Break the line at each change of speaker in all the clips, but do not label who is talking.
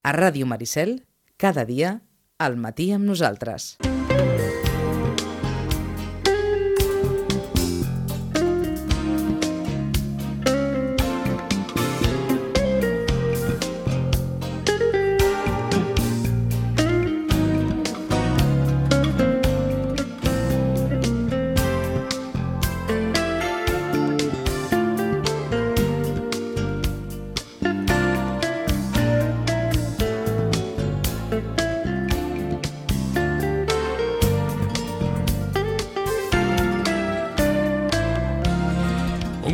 A Ràdio Maricel, cada dia, al matí amb nosaltres.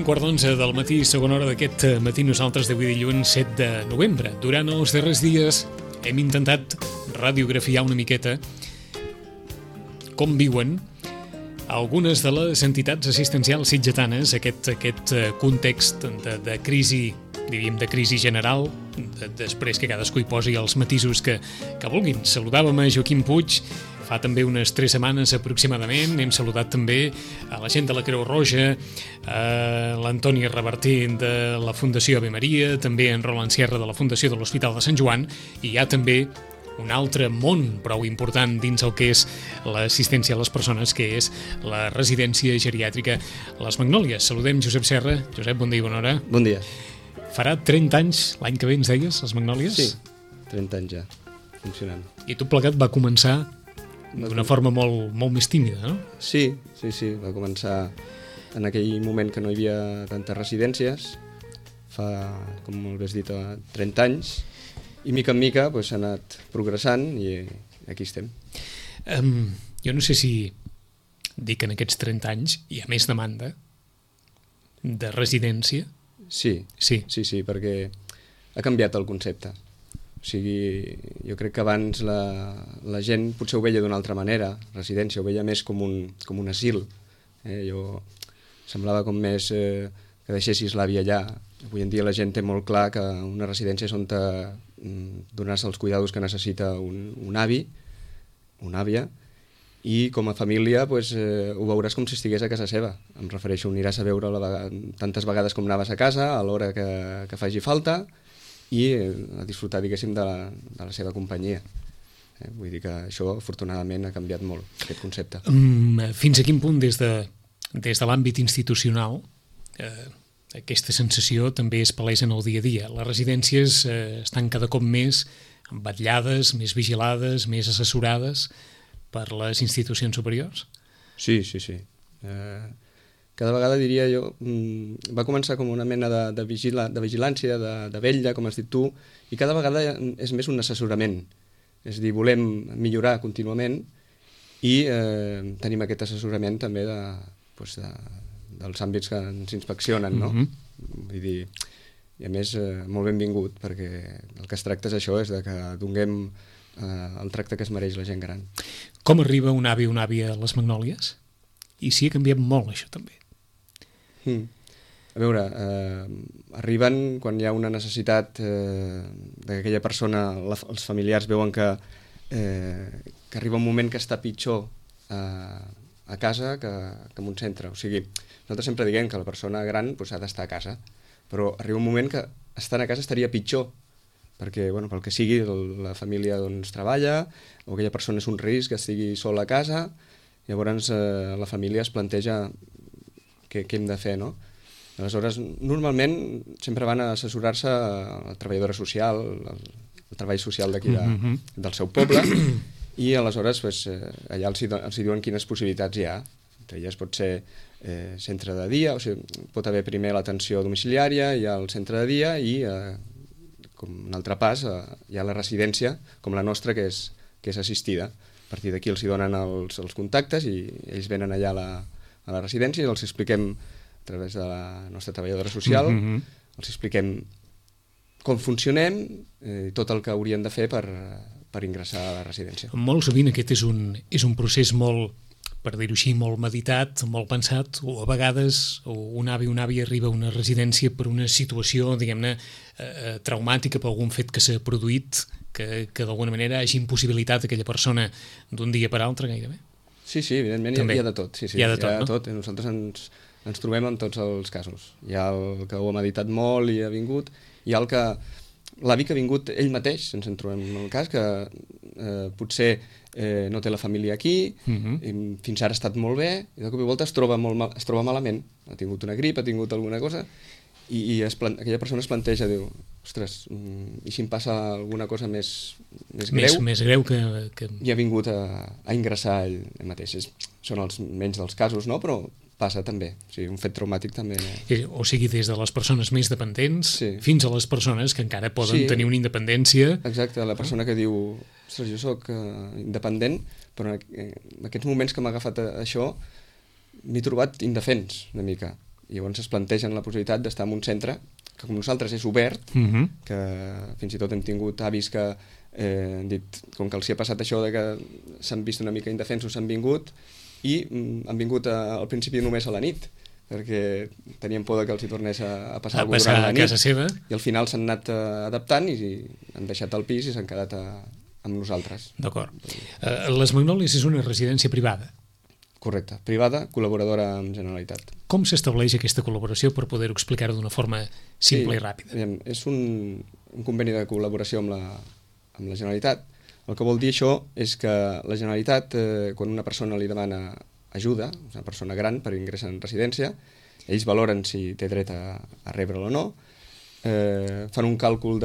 Quart d'11 del matí, segona hora d'aquest matí, nosaltres d'avui dilluns 7 de novembre. Durant els darrers dies hem intentat radiografiar una miqueta com viuen algunes de les entitats assistencials sitgetanes aquest context de crisi, diríem, de crisi general, després que cadascú hi posi els matisos que vulguin. Saludàvem a Joaquim Puig fa també unes 3 setmanes aproximadament. Hem saludat també a la gent de la Creu Roja, a l'Antoni Reverter de la Fundació Ave Maria, també en Roland Sierra de la Fundació de l'Hospital de Sant Joan, i hi ha també un altre món prou important dins el que és l'assistència a les persones, que és la residència geriàtrica Les Magnòlies. Saludem Josep Serra. Josep, bon dia i bona hora.
Bon dia.
Farà 30 anys l'any que ve, ens deies, Les Magnòlies?
Sí, 30 anys ja, funcionant.
I tot plegat va començar d'una forma molt més tímida, no?
Sí, va començar en aquell moment que no hi havia tantes residències, fa, com molt bé has dit, 30 anys, i mica en mica s'ha anat progressant i aquí estem.
Jo no sé si dir que en aquests 30 anys hi ha més demanda de residència.
Sí, perquè ha canviat el concepte. O sigui, jo crec que abans la gent potser ho veia d'una altra manera, residència, ho veia més com un asil. Semblava com més que deixessis l'àvia allà. Avui en dia la gent té molt clar que una residència és on donar-se els cuidados que necessita un avi, una àvia, i com a família ho veuràs com si estigués a casa seva. Em refereixo, aniràs a veure tantes vegades com anaves a casa, a l'hora que faci falta, i a disfrutar, diguéssim, de la seva companyia. Vull dir que això, afortunadament, ha canviat molt, aquest concepte.
Fins a quin punt, des de l'àmbit institucional, aquesta sensació també es palesa en el dia a dia? Les residències estan cada cop més vetllades, més vigilades, més assessorades per les institucions superiors?
Sí. Cada vegada, diria jo, va començar com una mena de vigilància, de vetlla, com has dit tu, i cada vegada és més un assessorament. És a dir, volem millorar contínuament i tenim aquest assessorament també dels àmbits que ens inspeccionen, no? Vull dir, i a més, molt benvingut, perquè el que es tracta és això, és que donem el tracte que es mereix la gent gran.
Com arriba un avi o una àvia a Les Magnòlies? I sí, ha canviat molt això també.
A veure, arriben quan hi ha una necessitat d'aquella persona, els familiars veuen que arriba un moment que està pitjor a casa que en un centre. O sigui, nosaltres sempre diguem que la persona gran ha d'estar a casa, però arriba un moment que estant a casa estaria pitjor, perquè, pel que sigui, la família treballa, o aquella persona és un risc que estigui sola a casa, llavors la família es planteja què hem de fer, no? Aleshores, normalment sempre van a assessorar-se a la treballadora social, el treball social d'aquí del seu poble, i aleshores allà els hi diuen quines possibilitats hi ha. Entre elles pot ser centre de dia, o sigui, pot haver primer l'atenció domiciliària, hi ha el centre de dia i, com un altre pas, hi ha la residència, com la nostra, que és assistida. A partir d'aquí els hi donen els contactes i ells venen allà a la residència i els expliquem a través de la nostra treballadora social, els expliquem com funcionem i tot el que haurien de fer per ingressar a la residència.
Molt sovint aquest és un procés molt, per dir-ho així, molt meditat, molt pensat, o a vegades un avi o una àvia arriba a una residència per una situació, diguem-ne, traumàtica, per algun fet que s'ha produït, que d'alguna manera hagi impossibilitat aquella persona d'un dia per altre gairebé.
Sí, evidentment hi ha de tot.
Hi ha de tot.
Nosaltres ens trobem en tots els casos. Hi ha el que ho ha meditat molt i ha vingut, hi ha el que l'avi que ha vingut ell mateix, ens en trobem en el cas, que potser no té la família aquí, fins ara ha estat molt bé, i de cop i volta es troba malament, ha tingut una grip, ha tingut alguna cosa, i aquella persona es planteja, diu, ostres, i si em passa alguna cosa més greu?
Més greu que...
I ha vingut a ingressar ell mateix. Són els menys dels casos, no? Però passa també, o sigui, un fet traumàtic també.
O sigui, des de les persones més dependents fins a les persones que encara poden tenir una independència.
Exacte, la persona que diu, ostres, jo soc independent, però en aquests moments que m'ha agafat això m'he trobat indefens una mica. I llavors es plantegen la possibilitat d'estar en un centre que com nosaltres és obert, que fins i tot hem tingut avis que han dit, com que els hi ha passat això de que s'han vist una mica indefensos, s'han vingut i han vingut al principi només a la nit, perquè tenien por que els hi tornés a passar alguna cosa durant la nit.
A casa seva.
I al final s'han anat adaptant i han deixat el pis i s'han quedat amb nosaltres.
D'acord. Les Magnòlies és una residència privada.
Correcte, privada, col·laboradora amb Generalitat.
Com s'estableix aquesta col·laboració per poder-ho explicar-ho d'una forma simple i ràpida?
És un conveni de col·laboració amb la Generalitat. El que vol dir això és que la Generalitat, quan una persona li demana ajuda, una persona gran per ingressar en residència, ells valoren si té dret a rebre-la o no, fan un càlcul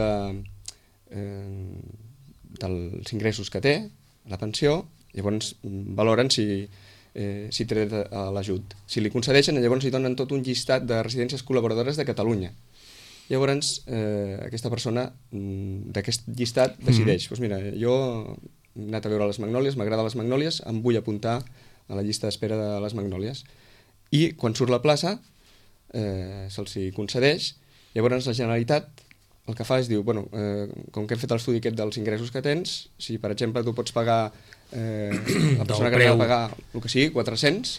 dels ingressos que té, la pensió, llavors valoren si té dret a l'ajut. Si li concedeixen, llavors li donen tot un llistat de residències col·laboradores de Catalunya. Llavors, aquesta persona d'aquest llistat decideix, doncs mira, jo he anat a veure les Magnòlies, m'agrada les Magnòlies, em vull apuntar a la llista d'espera de les Magnòlies. I quan surt la plaça, se'ls concedeix, llavors la Generalitat el que fa és diu, bueno, com que hem fet l'estudi aquest dels ingressos que tens, si per exemple tu pots pagar, la persona que ha de pagar el que sigui, 400,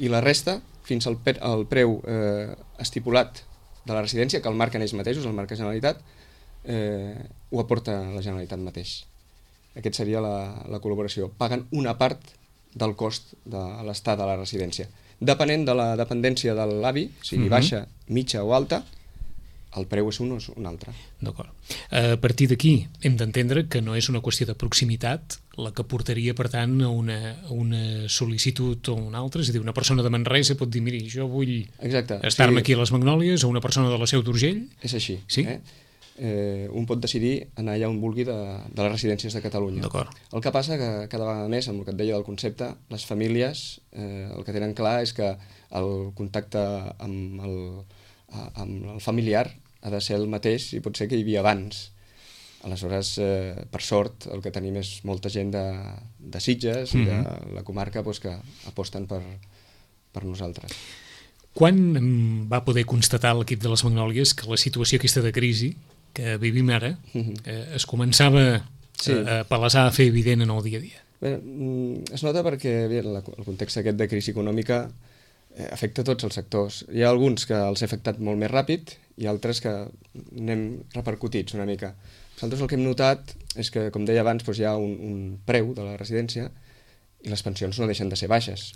i la resta, fins al preu estipulat de la residència, que el marquen ells mateixos, el marca Generalitat, ho aporta la Generalitat mateix. Aquest seria la col·laboració. Paguen una part del cost de l'estat de la residència. Depenent de la dependència de l'avi, sigui baixa, mitja o alta, el preu és un o un altre.
D'acord. A partir d'aquí hem d'entendre que no és una qüestió de proximitat la que portaria, per tant, a una sol·licitud o una altra. És a dir, una persona de Manresa pot dir, miri, jo vull estar-me aquí a les Magnòlies, o una persona de la Seu d'Urgell.
És així.
Sí?
Un pot decidir anar allà on vulgui de les residències de Catalunya.
D'acord.
El que passa que cada vegada més, amb el que et deia del concepte, les famílies el que tenen clar és que el contacte amb el familiar ha de ser el mateix i pot ser que hi havia abans. Aleshores, per sort, el que tenim és molta gent de Sitges i de la comarca que aposten per nosaltres.
Quan va poder constatar l'equip de les Magnòlies que la situació aquesta de crisi que vivim ara es començava a palesar, a fer evident en el dia a dia?
Bé, es nota perquè el context aquest de crisi econòmica afecta tots els sectors. Hi ha alguns que els ha afectat molt més ràpid i altres que n'hem repercutits una mica. Nosaltres el que hem notat és que, com deia abans, hi ha un preu de la residència i les pensions no deixen de ser baixes.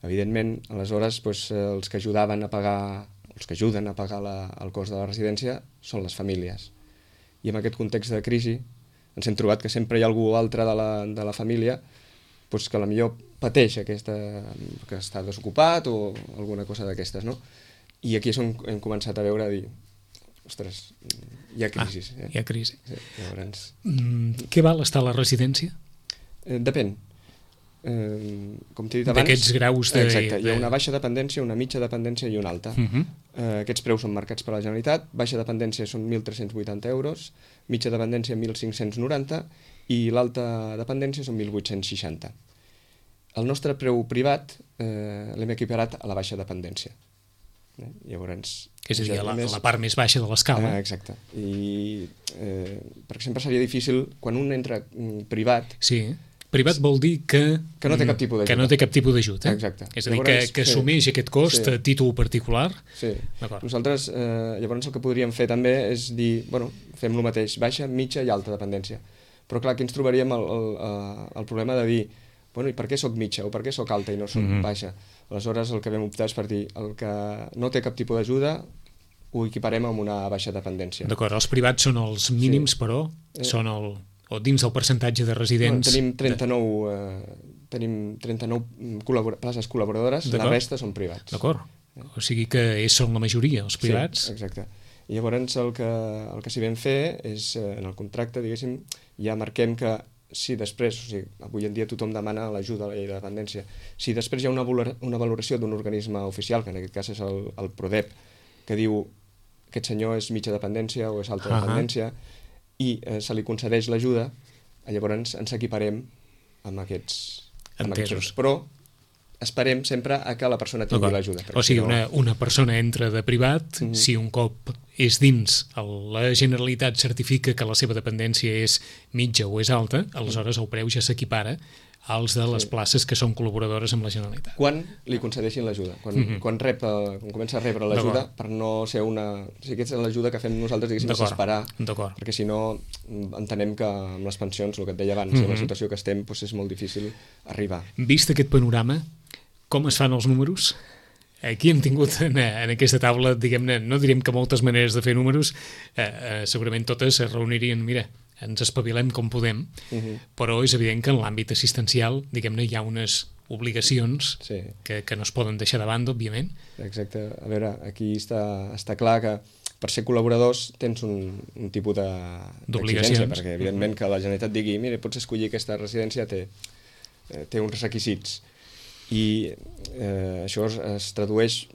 Evidentment, aleshores, els que ajudaven a pagar, els que ajuden a pagar el cost de la residència són les famílies. I en aquest context de crisi ens hem trobat que sempre hi ha algú altre de la família que potser pateix que està desocupat o alguna cosa d'aquestes, no? I aquí és on hem començat a veure, a dir, ostres, hi ha crisi.
Hi ha crisi.
Sí, llavors...
Què val estar a la residència?
Depèn. Com t'he dit abans...
D'aquests graus de...
Exacte, hi ha una baixa dependència, una mitja dependència i una alta. Aquests preus són marcats per la Generalitat, baixa dependència són 1.380 euros, mitja dependència 1.590 i l'alta dependència són 1.860. El nostre preu privat l'hem equiparat a la baixa dependència. Llavors,
és a dir, la part més baixa de l'escala.
Exacte. I perquè sempre seria difícil, quan un entra privat...
Sí, privat vol dir que
no té cap tipus d'ajut.
Que no té cap tipus d'ajut.
Exacte.
És a dir, que assumeix aquest cost a títol particular.
Sí. Nosaltres, llavors, el que podríem fer també és dir, bueno, fem el mateix, baixa, mitja i alta dependència. Però clar, aquí ens trobaríem el problema de dir, bueno, i per què soc mitja o per què soc alta i no soc baixa? Aleshores, el que vam optar és per dir, el que no té cap tipus d'ajuda, ho equiparem amb una baixa dependència.
D'acord, els privats són els mínims, però són o dins del percentatge de residents...
Tenim 39 places col·laboradores, la resta són privats.
D'acord, o sigui que són la majoria, els privats.
Sí, exacte. I llavors el que s'hi vam fer és, en el contracte, diguéssim, ja marquem que si després, o sigui, avui en dia tothom demana l'ajuda a la llei de dependència, si després hi ha una valoració d'un organisme oficial, que en aquest cas és el PRODEP, que diu aquest senyor és mitja dependència o és alta dependència, i se li concedeix l'ajuda, llavors ens equiparem amb aquests
Entesos.
Però esperem sempre a que la persona tingui l'ajuda.
O sigui, una persona entra de privat, si un cop és dins, la Generalitat certifica que la seva dependència és mitja o és alta, aleshores el preu ja s'equipara als de les places que són col·laboradores amb la Generalitat.
Quan li concedeixin l'ajuda, quan comença a rebre l'ajuda, per no ser una... O sigui, aquesta és l'ajuda que fem nosaltres, diguéssim, és esperar, perquè si no entenem que amb les pensions, el que et deia abans, en la situació que estem, és molt difícil arribar.
Vist aquest panorama, com es fan els números? Aquí hem tingut en aquesta taula, diguem-ne, no direm que moltes maneres de fer números, segurament totes es reunirien, mira, ens espavilem com podem, però és evident que en l'àmbit assistencial, diguem-ne, hi ha unes obligacions que no es poden deixar de banda, òbviament.
Exacte. A veure, aquí està clar que per ser col·laboradors tens un tipus d'exigència, perquè evidentment que la Generalitat digui, mira, pots escollir aquesta residència, té uns requisits. I això es tradueix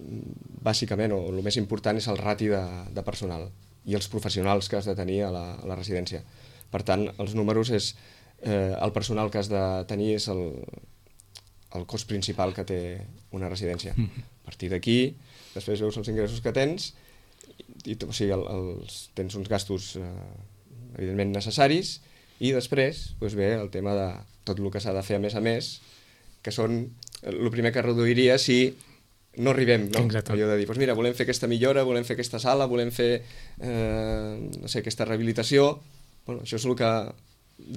bàsicament, o el més important és el rati de personal i els professionals que has de tenir a la residència. Per tant, els números és el personal que has de tenir és el cost principal que té una residència. A partir d'aquí, després veus els ingressos que tens, o sigui, tens uns gastos evidentment necessaris, i després ve el tema de tot el que s'ha de fer a més, que són el primer que reduiria si no arribem, no? Allò de dir, doncs mira, volem fer aquesta millora, volem fer aquesta sala, volem fer no sé, aquesta rehabilitació. Bueno, això és el que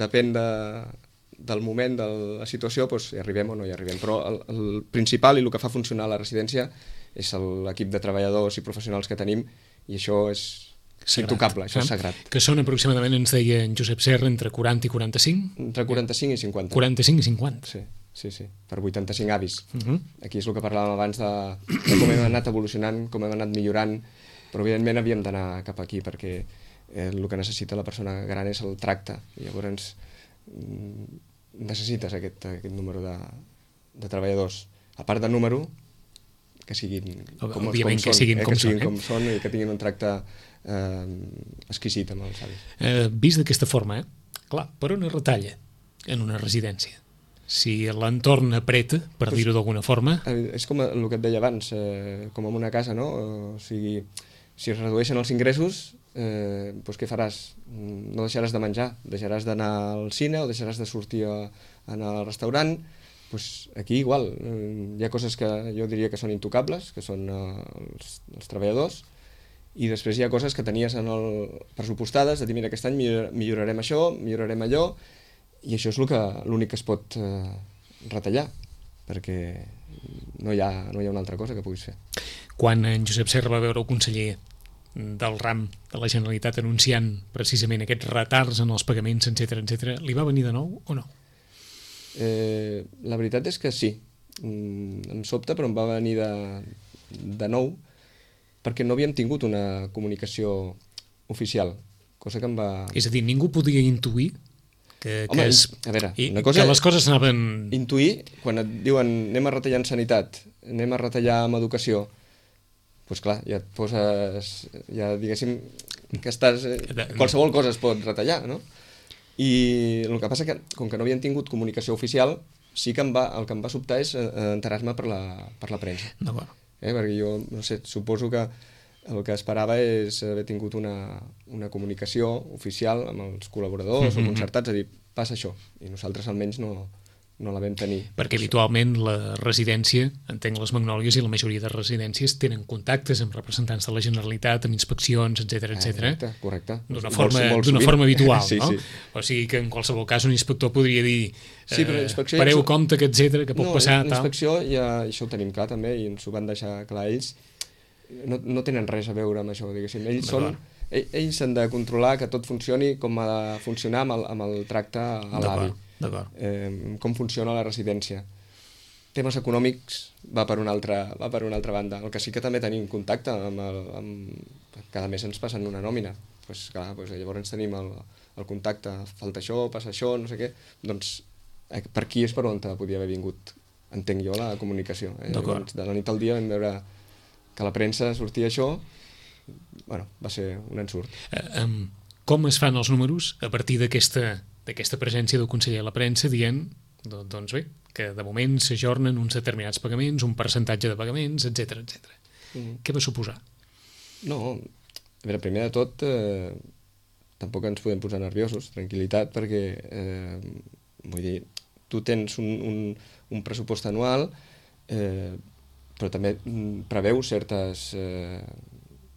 depèn del moment, de la situació, doncs hi arribem o no hi arribem. Però el principal i el que fa funcionar la residència és l'equip de treballadors i professionals que tenim, i això és intocable, això és sagrat.
Que són aproximadament, ens deia en Josep Serra, entre 40 i 45?
Entre 45 i 50.
45 i 50?
Sí, per 85 avis. Aquí és el que parlàvem abans de com hem anat evolucionant, com hem anat millorant, però evidentment havíem d'anar cap aquí, perquè el que necessita la persona gran és el tracte, i llavors necessites aquest número de treballadors. A part del número, que siguin com són i que tinguin un tracte exquisit amb els avis.
Vist d'aquesta forma, clar, per on es retalla en una residència? Si l'entorn apreta, per dir-ho d'alguna forma...
És com el que et deia abans, com en una casa, no? O sigui, si es redueixen els ingressos, doncs què faràs? No deixaràs de menjar, deixaràs d'anar al cine o deixaràs de sortir a anar al restaurant. Doncs aquí igual, hi ha coses que jo diria que són intocables, que són els treballadors, i després hi ha coses que tenies pressupostades, de dir, mira, aquest any millorarem això, millorarem allò, i això és l'únic que es pot retallar, perquè no hi ha una altra cosa que puguis fer.
Quan en Josep Serra va veure el conseller del RAM de la Generalitat anunciant precisament aquests retards en els pagaments, etc., li va venir de nou o no?
La veritat és que sí. Em sobta, però em va venir de nou, perquè no havíem tingut una comunicació oficial, cosa que em va...
És a dir, ningú podia intuir que
una cosa
que les coses anaven...
Intuir, quan et diuen anem a retallar en sanitat, anem a retallar en educació, doncs clar, ja et poses, ja diguéssim que estàs... qualsevol cosa es pot retallar, no? I el que passa que, com que no havien tingut comunicació oficial, sí que el que em va sobtar és enterar-me per la premsa.
D'acord.
Perquè jo, no sé, suposo que el que esperava és haver tingut una comunicació oficial amb els col·laboradors o concertats, a dir, passa això, i nosaltres almenys no la vam tenir.
Perquè habitualment la residència, entenc les Magnòlies i la majoria de residències, tenen contactes amb representants de la Generalitat, amb inspeccions, etc.
Correcte.
D'una forma habitual, no? O sigui que en qualsevol cas un inspector podria dir pareu compte, etc., que pot passar...
No, l'inspecció, ja això ho tenim clar també, i ens ho van deixar clar ells, no tenen res a veure amb això, diguéssim. Ells s'han de controlar que tot funcioni com ha de funcionar amb el tracte a l'avi. Com funciona la residència. Temes econòmics va per una altra banda. El que sí que també tenim contacte cada mes ens passen una nòmina. Llavors tenim el contacte, falta això, passa això, no sé què. Doncs per aquí és per on podia haver vingut, entenc jo, la comunicació. Llavors, de la nit al dia vam veure que a la premsa sortia això, va ser un ensurt.
Com es fan els números a partir d'aquesta presència del conseller a la premsa dient, doncs bé, que de moment s'ajornen uns determinats pagaments, un percentatge de pagaments, etc. Què va suposar?
No, a veure, primer de tot, tampoc ens podem posar nerviosos, tranquil·litat, perquè, vull dir, tu tens un pressupost anual, però també preveu certes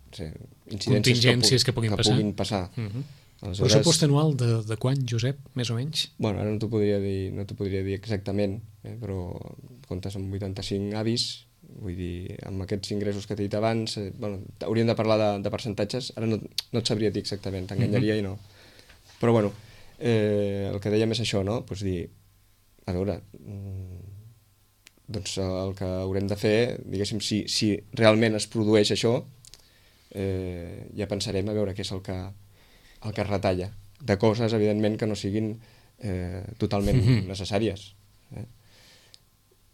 incidències
contingències que puguin
passar.
Aleshores, pressupost anual de quan, Josep, més o menys?
Bueno, ara no t'ho podria dir exactament, però comptes amb 85 avis, vull dir, amb aquests ingressos que t'he dit abans, hauríem de parlar de percentatges, ara no et sabria dir exactament, t'enganyaria i no. Però bueno, el que dèiem és això, no? Pues dir, a veure, doncs el que haurem de fer, diguéssim, si realment es produeix això, ja pensarem a veure què és el que es retalla, de coses, evidentment, que no siguin totalment necessàries.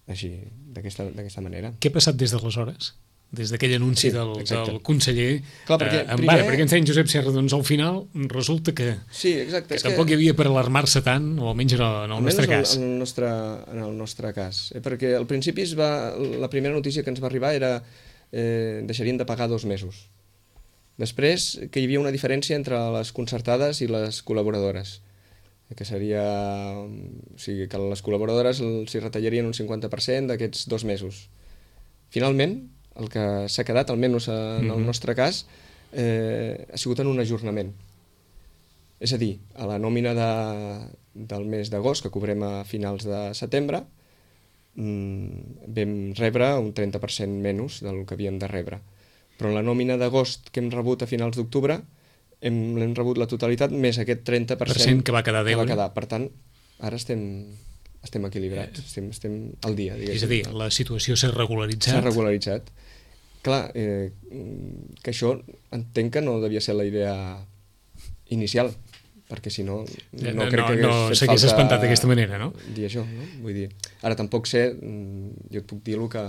Així, d'aquesta manera.
Què ha passat des d'aleshores? Des d'aquell anunci del conseller?
Clar,
perquè ens deia Josep Serra, doncs al final resulta que tampoc hi havia per alarmar-se tant, o almenys en el nostre cas.
En el nostre cas. Perquè al principi la primera notícia que ens va arribar era deixarien de pagar 2 mesos. Després, que hi havia una diferència entre les concertades i les col·laboradores, que seria, o sigui, que les col·laboradores s'hi retallarien un 50% d'aquests 2 mesos. Finalment, el que s'ha quedat, almenys en el nostre cas, ha sigut en un ajornament. És a dir, a la nòmina del mes d'agost, que cobrem a finals de setembre, vam rebre un 30% menys del que havíem de rebre. Però en la nòmina d'agost que hem rebut a finals d'octubre l'hem rebut la totalitat més aquest 30%
que va quedar a deure.
Per tant, ara estem equilibrats, estem al dia.
És a dir, la situació s'ha regularitzat.
S'ha regularitzat. Clar, que això entenc que no devia ser la idea inicial, perquè si no crec que
s'hagués espantat d'aquesta manera, no?
Dir això, no? Vull dir, ara tampoc sé, jo et puc dir el que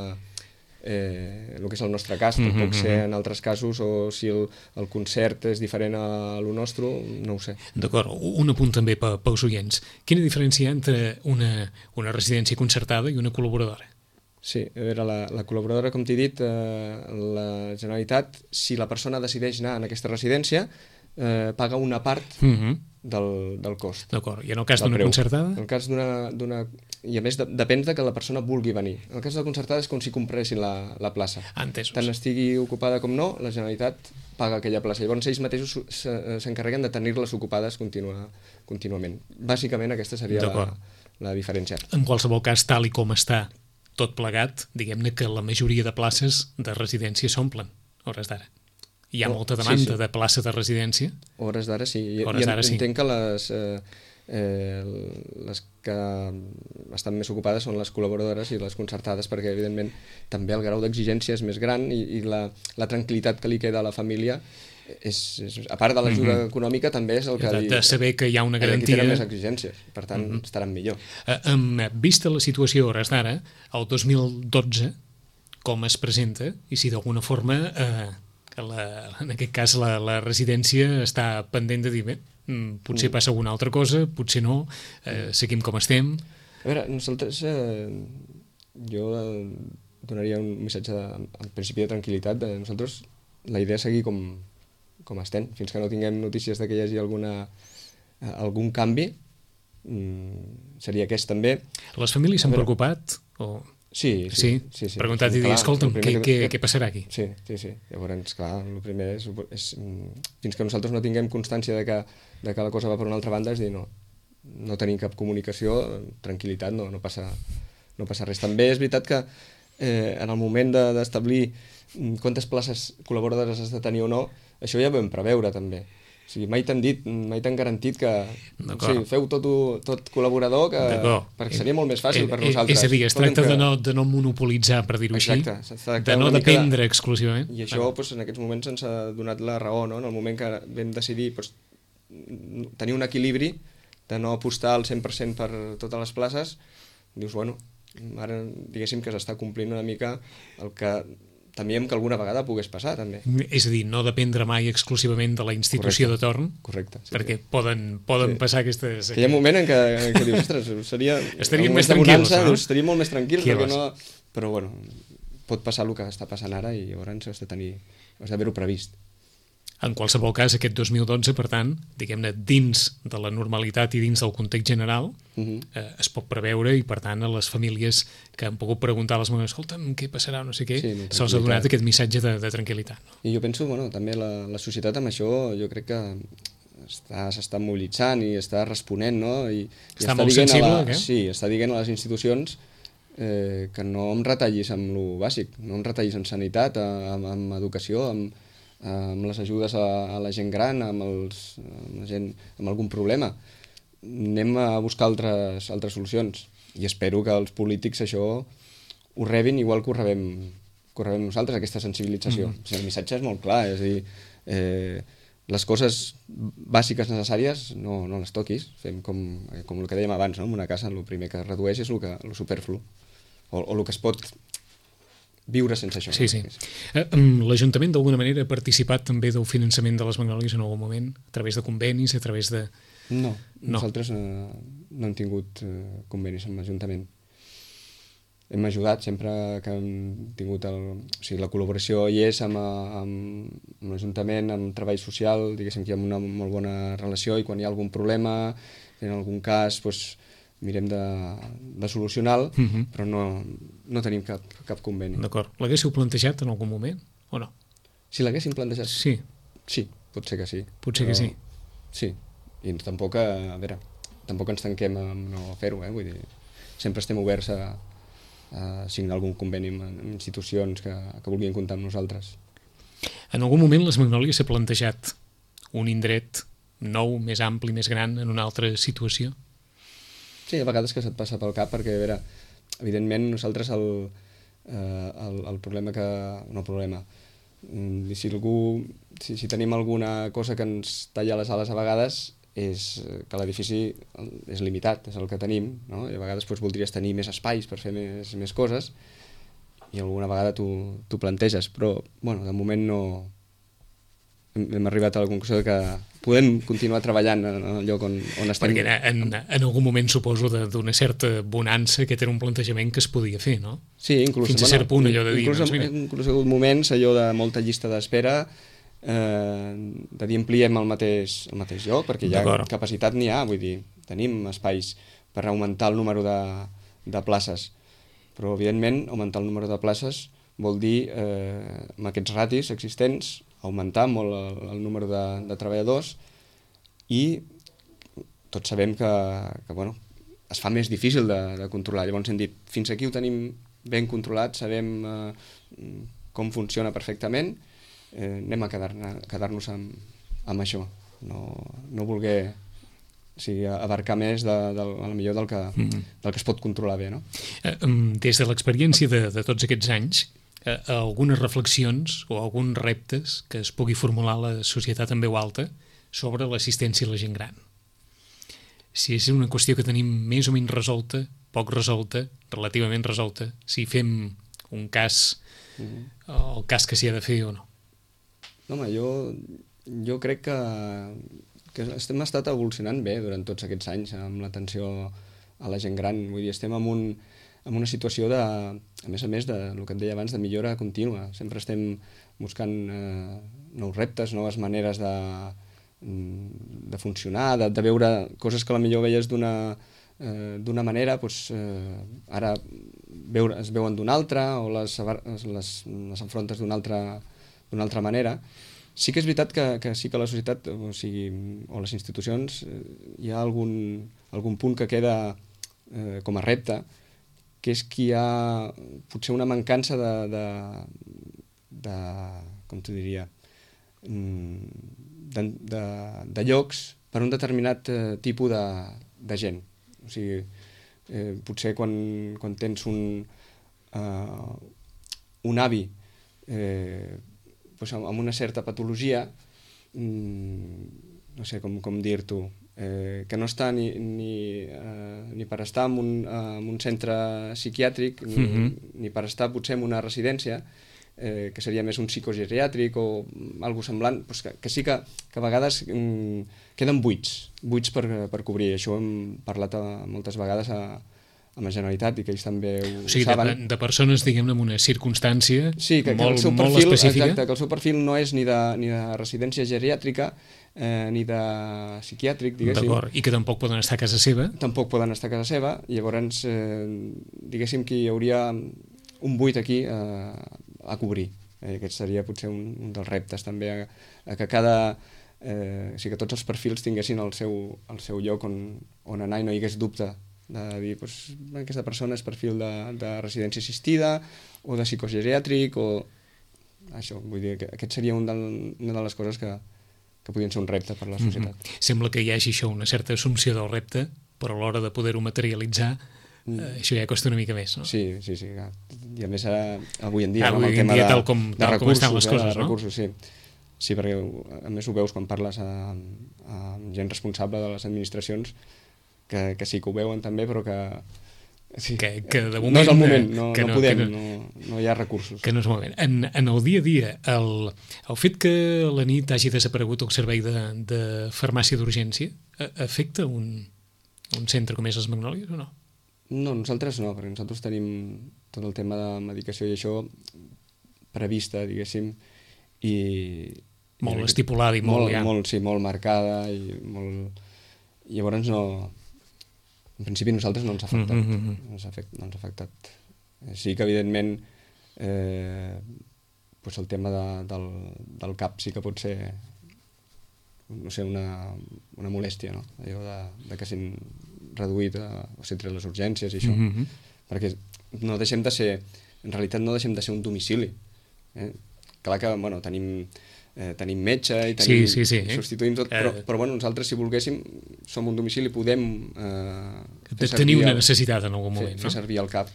és el nostre cas, tampoc sé en altres casos, o si el concert és diferent a lo nostre, no ho sé.
D'acord, un apunt també pels oients. Quina diferència hi ha entre una residència concertada i una col·laboradora?
Sí, a veure, la col·laboradora, com t'he dit, la Generalitat, si la persona decideix anar en aquesta residència, paga una part del cost.
D'acord, i en el cas d'una concertada?
En el cas d'una... I a més, depèn de que la persona vulgui venir. En el cas de la concertada és com si compressin la plaça.
Entesos.
Tant estigui ocupada com no, la Generalitat paga aquella plaça. Llavors ells mateixos s'encarreguen de tenir-les ocupades contínuament. Bàsicament aquesta seria la diferència.
En qualsevol cas, tal i com està tot plegat, diguem-ne que la majoria de places de residència s'omplen, hores d'ara. Hi ha molta demanda de plaça de residència?
Hores d'ara sí. Entenc que les que estan més ocupades són les col·laboradores i les concertades, perquè evidentment també el grau d'exigència és més gran i la tranquil·litat que li queda a la família a part de l'ajuda econòmica també és el que
de saber que hi ha una garantia,
que tenen més exigències, per tant estaran millor.
Vista la situació a hores d'ara, el 2012 com es presenta i si d'alguna forma en aquest cas la residència està pendent de dir bé, potser passa alguna altra cosa, potser no, seguim com estem.
A veure, nosaltres jo donaria un missatge en principi de tranquil·litat. Nosaltres la idea és seguir com estem, fins que no tinguem notícies que hi hagi algun canvi, seria aquest també.
Les famílies s'han preocupat?
Sí.
Preguntat i dir, escolta'm, què passarà aquí?
Sí. Llavors, clar, el primer és fins que nosaltres no tinguem constància de que la cosa va per una altra banda, és dir, no tenim cap comunicació, tranquil·litat, no passa res. També és veritat que en el moment d'establir quantes places col·laboradores has de tenir o no, això ja ho vam preveure també. O sigui, mai t'han garantit que feu tot col·laborador, perquè seria molt més fàcil per nosaltres.
És a dir, es tracta de no monopolitzar, per dir-ho així, de no dependre exclusivament.
I això en aquests moments ens ha donat la raó, no? En el moment que vam decidir tenir un equilibri, de no apostar al 100% per totes les places, dius, bueno, ara diguéssim que s'està complint una mica el que temíem que alguna vegada pogués passar, també.
És a dir, no dependre mai exclusivament de la institució de torn, perquè poden passar aquestes...
Hi ha un moment en què dius, ostres,
estaríem més tranquils, no?
Estaríem molt més tranquils, però bueno, pot passar el que està passant ara i llavors has d'haver-ho previst.
En qualsevol cas, aquest 2012, per tant, diguem-ne, dins de la normalitat i dins del context general, es pot preveure i, per tant, a les famílies que han pogut preguntar a les mamans, escolta'm, què passarà, no sé què, se'ls ha donat aquest missatge de tranquil·litat. No?
I jo penso, també la societat amb això, jo crec que s'està mobilitzant i està responent, no?
Està molt sensible, eh?
Sí, està dient a les institucions que no em retallis amb lo bàsic, no em retallis en sanitat, amb educació, amb les ajudes a la gent gran, amb la gent amb algun problema. Anem a buscar altres solucions i espero que els polítics això ho rebin igual que ho rebem nosaltres, aquesta sensibilització. O sigui, el missatge és molt clar, és a dir, les coses bàsiques necessàries no les toquis, fem com el que dèiem abans, no? En una casa el primer que redueix és el superflu o el que es pot viure sense això.
Sí. L'Ajuntament d'alguna manera ha participat també del finançament de les Magnòlies en algun moment, a través de convenis, a través de...
No, nosaltres no hem tingut convenis amb l'Ajuntament. Hem ajudat sempre que hem tingut la col·laboració hi és amb l'Ajuntament, amb treball social, diguéssim que hi ha una molt bona relació i quan hi ha algun problema, en algun cas, mirem de solucionar-lo, però no tenim cap conveni.
D'acord. L'haguéssiu plantejat en algun moment o no?
Si l'haguéssim plantejat?
Sí.
Sí, pot ser que sí.
Potser que sí.
Sí, i tampoc ens tanquem a no fer-ho, vull dir, sempre estem oberts a signar algun conveni amb institucions que vulguin comptar amb nosaltres.
En algun moment les Magnòlies s'ha plantejat un indret nou, més ampli, més gran, en una altra situació?
Sí, a vegades que se't passa pel cap, perquè, evidentment, nosaltres el problema que... No problema. Si tenim alguna cosa que ens talla les ales a vegades és que l'edifici és limitat, és el que tenim, no? I a vegades voldries tenir més espais per fer més coses i alguna vegada t'ho planteges, però, de moment no... Hem arribat a la conclusió que podem continuar treballant en el lloc on estem.
Perquè en algun moment suposo d'una certa bonança aquest era un plantejament que es podia fer, no?
Sí, inclús...
Fins a cert punt allò de dir...
Inclús ha hagut moments allò de molta llista d'espera, de dir ampliem el mateix lloc, perquè ja capacitat n'hi ha, vull dir, tenim espais per augmentar el número de places, però evidentment augmentar el número de places vol dir, amb aquests ratis existents, augmentar molt el número de treballadors i tots sabem que es fa més difícil de controlar. Llavors hem dit, fins aquí ho tenim ben controlat, sabem com funciona perfectament, anem a quedar-nos amb això, no voler abarcar més millor del que es pot controlar bé. No?
Des de l'experiència de tots aquests anys, algunes reflexions o alguns reptes que es pugui formular a la societat en veu alta sobre l'assistència a la gent gran. Si és una qüestió que tenim més o menys resolta, poc resolta, relativament resolta, si fem un cas, el cas que s'hi ha de fer o no.
Home, jo crec que hem estat evolucionant bé durant tots aquests anys amb l'atenció a la gent gran. Vull dir, estem en una situació a més del que et deia abans, de millora contínua. Sempre estem buscant nous reptes, noves maneres de funcionar, de veure coses que potser veies d'una manera, ara es veuen d'una altra o les enfrontes d'una altra manera. Sí que és veritat que sí que la societat o les institucions hi ha algun punt que queda com a repte, que és que hi ha potser una mancança de com t'ho diria, de llocs per un determinat tipus de gent. O sigui, potser quan tens un avi doncs amb una certa patologia, no sé com dir-t'ho, que no està ni per estar en un centre psiquiàtric ni per estar potser en una residència, que seria més un psicogeriàtric o algo semblant, doncs que sí que a vegades queden buits per cobrir. Això hem parlat moltes vegades amb la Generalitat i que ells també ho saben.
De persones, diguem-ne, amb una circumstància molt específica.
Exacte, que el seu perfil no és ni de residència geriàtrica ni de psiquiàtric, diguéssim.
D'acord, i que tampoc poden estar a casa seva.
Tampoc poden estar a casa seva, i llavors diguéssim que hi hauria un buit aquí a cobrir. Aquest seria potser un dels reptes també, a que o sigui, que tots els perfils tinguessin el seu lloc on anar i no hi hagués dubte de dir, doncs, aquesta persona és perfil de residència assistida o de psicogeriàtric o això. Vull dir que aquest seria una de les coses que podrien ser un repte per a la societat.
Sembla que hi hagi això, una certa assumpció del repte, però a l'hora de poder-ho materialitzar això ja costa una mica més, no?
Sí. I a més avui en dia,
amb el tema de recursos,
les coses,
no?
Recursos, sí. Sí, perquè a més ho veus quan parles amb gent responsable de les administracions, que sí que ho veuen també, però que
de moment
no és el moment, no podem, no hi ha recursos.
Que no és el moment. En el dia a dia, el fet que a la nit hagi desaparegut el servei de farmàcia d'urgència afecta un centre com és les Magnòlies o no?
No, nosaltres no, perquè nosaltres tenim tot el tema de medicació i això prevista, diguéssim, i
molt estipulada i
molt marcada i molt... Llavors no... En principi nosaltres no ens ha afectat. No ens ha afectat. Sí que evidentment doncs el tema del cap sí que pot ser, no sé, una molèstia, no? Allò de que s'han reduït o s'han tret les urgències i això, perquè no deixem de ser, en realitat no deixem de ser un domicili. Clar que, bueno, tenim metge i substituïm tot, però bueno, nosaltres si volguéssim som un domicili, podem
tenir una necessitat en algun moment,
fer servir el cap.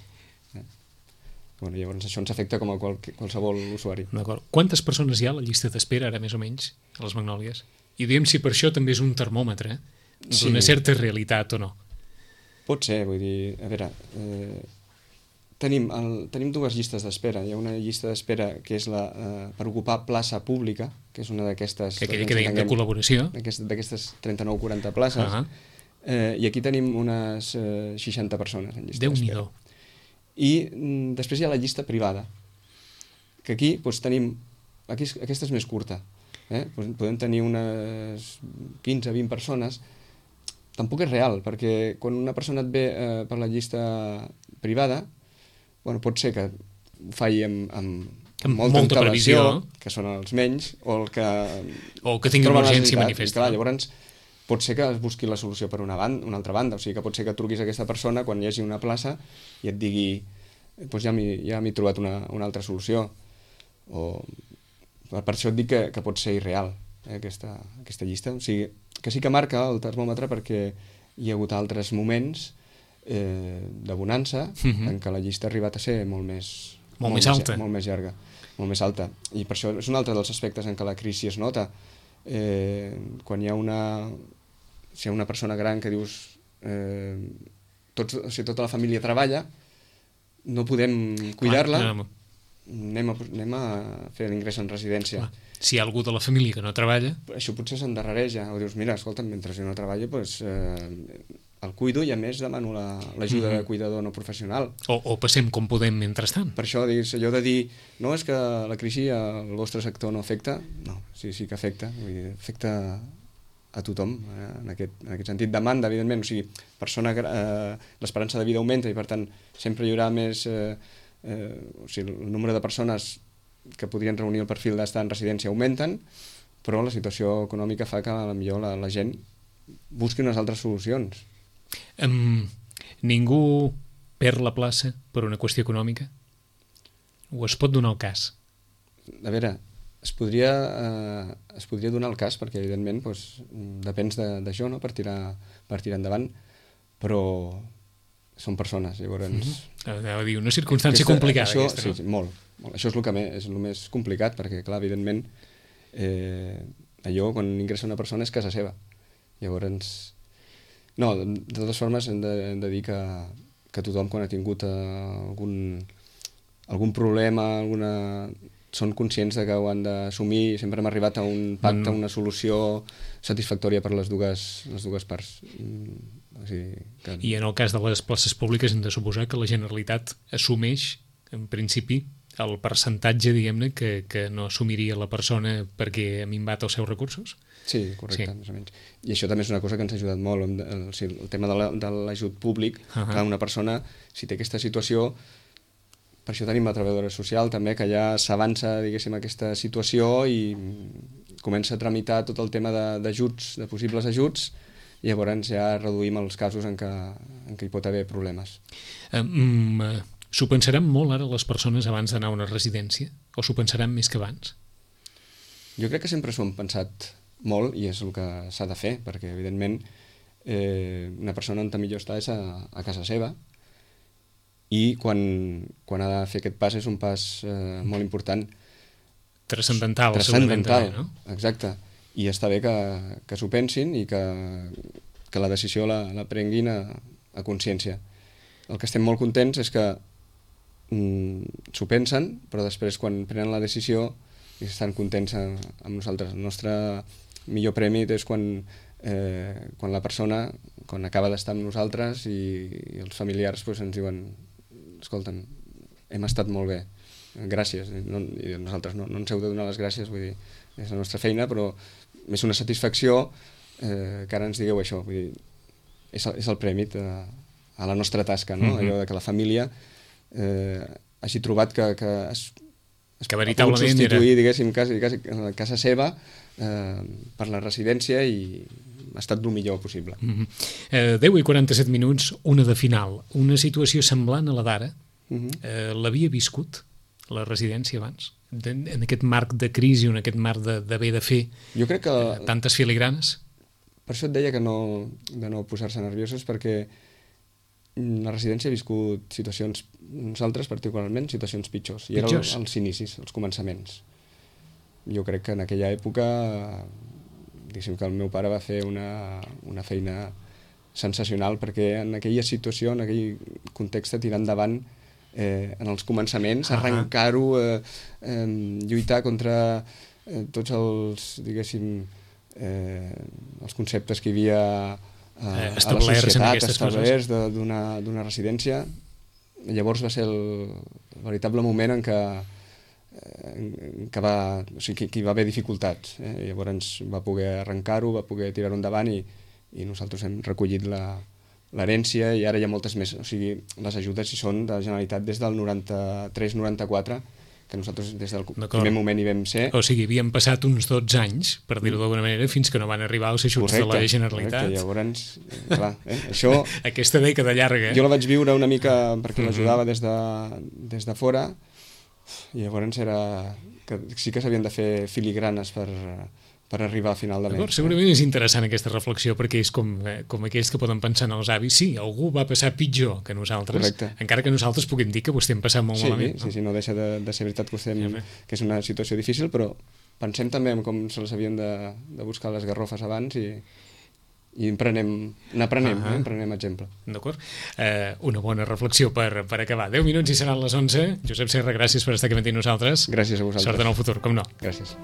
Bueno, llavors això ens afecta com a qualsevol usuari.
D'acord. Quantes persones hi ha a la llista d'espera ara més o menys a les Magnòlies? I diguem si per això també és un termòmetre d'una certa realitat o no.
Pot ser, vull dir, a veure, tenim dues llistes d'espera. Hi ha una llista d'espera que és per ocupar plaça pública, que és una d'aquestes...
Que dèiem de col·laboració.
D'aquestes 39-40 places. I aquí tenim unes 60 persones en llista d'espera.
Déu-n'hi-do.
I després hi ha la llista privada, que aquí doncs, tenim... Aquesta és més curta. Podem tenir unes 15-20 persones. Tampoc és real, perquè quan una persona et ve per la llista privada, bueno, pot ser que ho faci amb molta previsió, que són els menys, o
que tingui una urgència manifesta.
Clar, llavors pot ser que es busqui la solució per una altra banda, o sigui que pot ser que truquis a aquesta persona quan hi hagi una plaça i et digui doncs ja m'he trobat una altra solució. Per això et dic que pot ser irreal aquesta llista. O sigui, que sí que marca el termòmetre perquè hi ha hagut altres moments de bonança en què la llista ha arribat a ser molt més
alta,
molt més llarga, molt més alta. I per això és un altre dels aspectes en què la crisi es nota. Quan hi ha una persona gran que dius tota la família treballa, no podem cuidar-la, anem a fer l'ingrés en residència.
Si hi ha algú de la família que no treballa...
Això potser s'endarrereja, o dius, mira, escolta, mentre jo no treballo, doncs, el cuido i a més demano l'ajuda de cuidador no professional.
O passem com podem mentrestant.
Per això, allò de dir, no, és que la crisi al vostre sector no afecta, no, sí que afecta, vull dir, afecta a tothom, en aquest sentit. Demanda, evidentment, o sigui, l'esperança de vida augmenta i per tant sempre hi haurà més... o sigui, el nombre de persones que podrien reunir el perfil d'estar en residència augmenten, però la situació econòmica fa que potser la gent busqui unes altres solucions.
Ningú perd la plaça per una qüestió econòmica? O es pot donar el cas?
A veure, es podria donar el cas, perquè evidentment doncs, depèn d'això, no? per tirar endavant, però són persones, llavors...
Anava a dir, una circumstància complicada.
Això,
aquesta, no?
Sí, molt. Això és el més complicat, perquè, clar, evidentment, allò, quan ingressa una persona, és casa seva. Llavors... No, de totes formes, hem de dir que tothom, quan ha tingut algun problema, són conscients de que ho han d'assumir i sempre hem arribat a un pacte, a una solució satisfactòria per les dues parts. O sigui, que...
I en el cas de les places públiques hem de suposar que la Generalitat assumeix, en principi, el percentatge, diguem-ne, que no assumiria la persona perquè ha minvat els seus recursos?
Sí, correcte, més o menys. I això també és una cosa que ens ha ajudat molt, el tema de l'ajut públic. Clar, una persona, si té aquesta situació, per això tenim la treballadora social també, que ja s'avança, diguéssim, aquesta situació i comença a tramitar tot el tema d'ajuts, de possibles ajuts, i llavors ja reduïm els casos en què hi pot haver problemes.
S'ho pensaran molt ara les persones abans d'anar a una residència? O s'ho pensaran més que abans?
Jo crec que sempre s'ho han pensat molt i és el que s'ha de fer, perquè evidentment una persona on millor està és a casa seva, i quan ha de fer aquest pas és un pas molt important.
Transcendental,
no? Exacte. I està bé que s'ho pensin i que la decisió la prenguin a consciència. El que estem molt contents és que s'ho pensen, però després quan prenen la decisió estan contents amb nosaltres. El nostre millor premi és quan la persona, quan acaba d'estar amb nosaltres i els familiars ens diuen: escolta'm, hem estat molt bé, gràcies. I nosaltres no ens heu de donar les gràcies, vull dir, és la nostra feina, però és una satisfacció que ara ens digueu això, vull dir, és el premi a la nostra tasca, no? Allò de que la família hagi trobat que es
veritablement
pot substituir, diguéssim, casa seva per la residència i ha estat el millor possible.
10:47, una de final. Una situació semblant a la d'ara, l'havia viscut la residència abans? En aquest marc de crisi, en aquest marc d'haver de fer tantes filigranes?
Per això et deia que de no posar-se nerviosos, perquè la residència ha viscut situacions, nosaltres particularment, situacions pitjors. I eren els inicis, els començaments. Jo crec que en aquella època, diguéssim que el meu pare va fer una feina sensacional, perquè en aquella situació, en aquell context, tirar endavant en els començaments, arrencar-ho, lluitar contra tots els, diguéssim, els conceptes que hi havia a la societat, establerts d'una residència. Llavors va ser el veritable moment en què va haver dificultats. Llavors va poder arrencar-ho, va poder tirar-ho endavant i nosaltres hem recollit l'herència i ara hi ha moltes més. O sigui, les ajudes hi són de la Generalitat des del 93-94, que nosaltres des del primer moment hi vam ser.
O sigui, havien passat uns 12 anys, per dir-ho d'alguna manera, fins que no van arribar els ajuts de la Generalitat.
Correcte, llavors, clar, això...
Aquesta dècada llarga.
Jo la vaig viure una mica perquè l'ajudava des de fora, i llavors sí que s'havien de fer filigranes per arribar a final de mes.
Segurament és interessant aquesta reflexió, perquè és com aquells que poden pensar en els avis: sí, algú va passar pitjor que nosaltres.
Correcte.
Encara que nosaltres puguem dir que ho estem passant molt malament.
Sí, no deixa de ser veritat que és una situació difícil, però pensem també en com se les havien de buscar les garrofes abans i n'aprenem exemple.
D'acord. Una bona reflexió per acabar. 10 minuts i seran les 11. Josep Serra, gràcies per estar aquí amb nosaltres.
Gràcies a vosaltres.
Sort en el futur, com no.
Gràcies.